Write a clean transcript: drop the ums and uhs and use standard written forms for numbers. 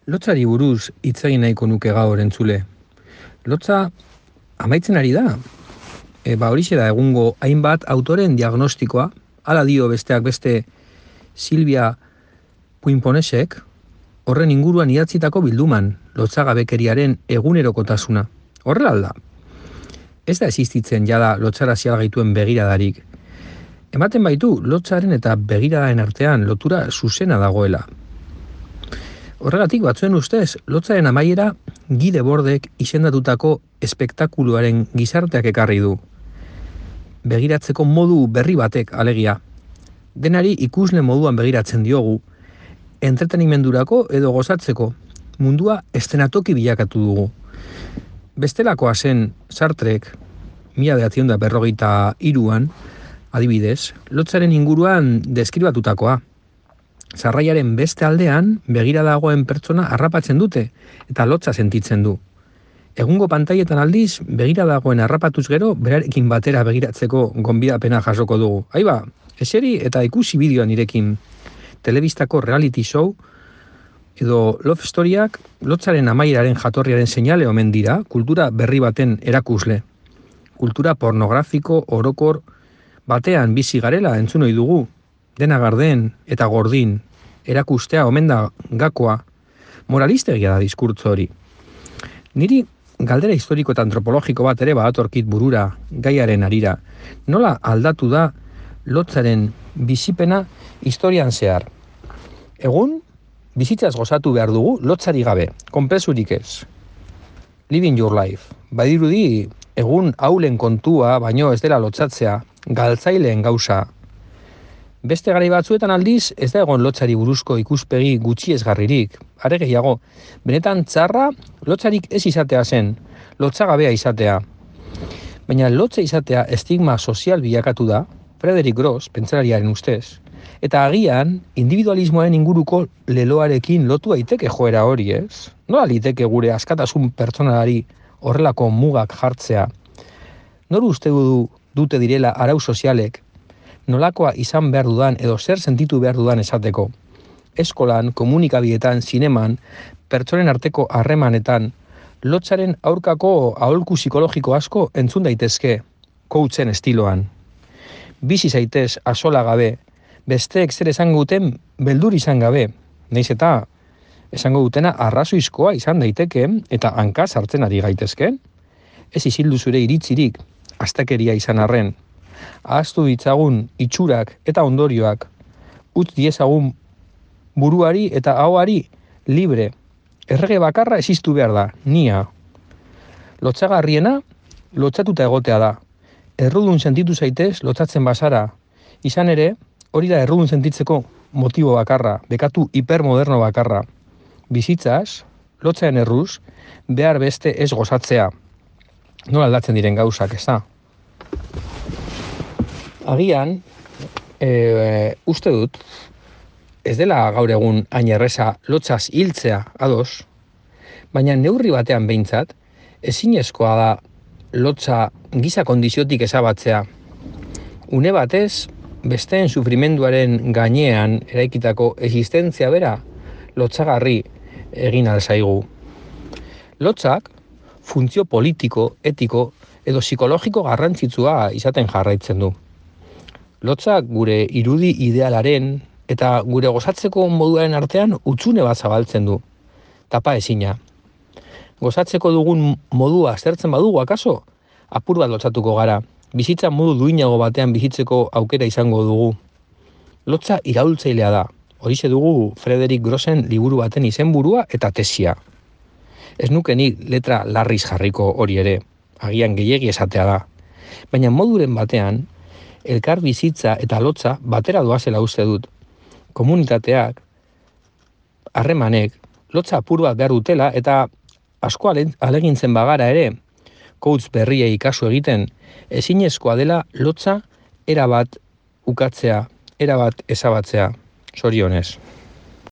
Lotzari buruz hitz egin nahiko nuke gaur entzule. Lotza amaitzen ari da. Horixe da egungo hainbat autoren diagnostikoa, hala dio besteak beste Silvia Puinponesek, horren inguruan idatzitako bilduman, lotzagabekeriaren egunerokotasuna. Horrela alda. Ez da existitzen jada lotzara zialgaituen begiradarik. Ematen baitu lotzaren eta begiradaen artean lotura zuzena dagoela. Horregatik batzuen ustez, lotzaren amaiera Gide Bordek izendatutako espektakuluaren gizarteak ekarri du. Begiratzeko modu berri batek alegia. Denari ikusle moduan begiratzen diogu, entretenimendurako edo gozatzeko, mundua eszenatoki bilakatu dugu. Bestelakoa zen Sartrek, 1953an, adibidez, lotzaren inguruan deskribatutakoa. Sarraiaren beste aldean begira dagoen pertsona harrapatzen dute eta lotza sentitzen du. Egungo pantailetan aldiz begira dagoen harrapatuz gero berarekin batera begiratzeko gonbidapena jasoko dugu. Aiba, eseri eta ikusi bideoa nirekin. Telebistako reality show edo love storyak lotzaren amaieraren jatorriaren seinale omen dira kultura berri baten erakusle. Kultura pornografiko orokor batean bizi garela entzun ohi dugu. Dena garden eta gordin, erakustea omen da gakoa, moralistegia da diskurtso hori. Niri galdera historiko eta antropologiko bat ere badatorkit burura gaiaren harira. Nola aldatu da lotzaren bizipena historian zehar? Egun, bizitzaz gozatu behar dugu lotzari gabe, konpesurik ez. Living your life. Badirudi, egun haulen kontua, baino ez dela lotzatzea, galtzaileen gauza. Beste garai batzuetan aldiz, ez da egon lotzari buruzko ikuspegi gutxiesgarririk. Are gehiago, benetan txarra lotzarik ez izatea zen, lotzagabea izatea. Baina lotza izatea estigma sozial bilakatu da, Frederick Gross, pentsalariaren ustez, eta agian individualismoaren inguruko leloarekin lotu daiteke joera hori, ez? Nola liteke gure askatasun pertsonalari horrelako mugak jartzea? Nor uste dute direla arau sozialek, nolakoa izan behar dudan edo zer sentitu behar dudan esateko. Eskolan, komunikabidetan, zineman, pertsonen arteko harremanetan, lotzaren aurkako aholku psikologiko asko entzun daitezke, coachen estiloan. Bizi zaitez asola gabe, besteek zer esango duten beldur izan gabe, nahiz eta esango dutena arrazoizkoa izan daiteke eta hanka sartzen ari gaitezke. Ez isildu zure iritzirik, astakeria izan arren. Ahaztu ditzagun itxurak eta ondorioak, utz diezagun buruari eta ahoari libre. Errege bakarra existu behar da, nia. Lotzagarriena, lotzatuta egotea da. Errudun sentitu zaitez lotzatzen bazara. Izan ere, hori da errudun sentitzeko motibo bakarra, bekatu hipermoderno bakarra. Bizitzaz, lotzaen erruz, behar beste ez gozatzea. Nola aldatzen diren gauzak, ez da? Agian, uste dut, ez dela gaur egun hain erreza lotzaz hiltzea ados, baina neurri batean behintzat, ezinezkoa da lotza giza kondiziotik ezabatzea. Une batez, besteen sufrimenduaren gainean eraikitako existentzia bera lotzagarri egin alzaigu. Lotzak, funtzio politiko, etiko edo psikologiko garrantzitsua izaten jarraitzen du. Lotzak gure irudi idealaren eta gure gozatzeko moduaren artean hutsune bat zabaltzen du. Tapa ezina. Gozatzeko dugun modua aztertzen badugu akaso, apur bat lotzatuko gara. Bizitza modu duinago batean bizitzeko aukera izango dugu. Lotza iraultzailea da. Horixe dugu Frederick Grossen liburu baten izenburua eta tesia. Ez nuke nik letra larriz jarriko hori ere, agian gehiegi esatea da. Baina moduren batean, elkar bizitza eta lotza batera doazela uste dut. Komunitateak, harremanek, lotza apur bat behar dutela eta asko alegintzen bagara ere, coach berriei kasu egiten, ezinezkoa dela lotza erabat ukatzea, erabat ezabatzea. Zorionez.